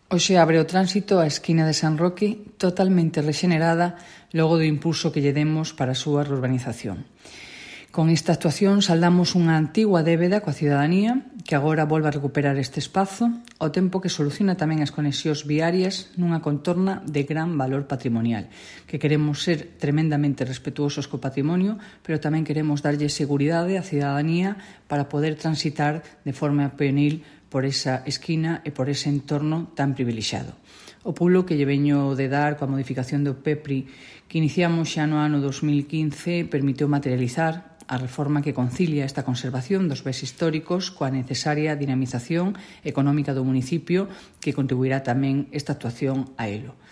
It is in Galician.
Hoxe abre o tránsito a esquina de San Roque totalmente rexenerada logo do impulso que lle demos para a súa urbanización. Con esta actuación saldamos unha antigua débeda coa cidadanía que agora volve a recuperar este espazo ao tempo que soluciona tamén as conexións viarias nunha contorna de gran valor patrimonial, que queremos ser tremendamente respetuosos co patrimonio, pero tamén queremos darlle seguridade á cidadanía para poder transitar de forma peonil por esa esquina e por ese entorno tan privilexiado. O pulo que lle veño de dar coa modificación do PEPRI que iniciamos xa no ano 2015 permitiu materializar a reforma que concilia esta conservación dos bens históricos coa necesaria dinamización económica do municipio que contribuirá tamén esta actuación a elo.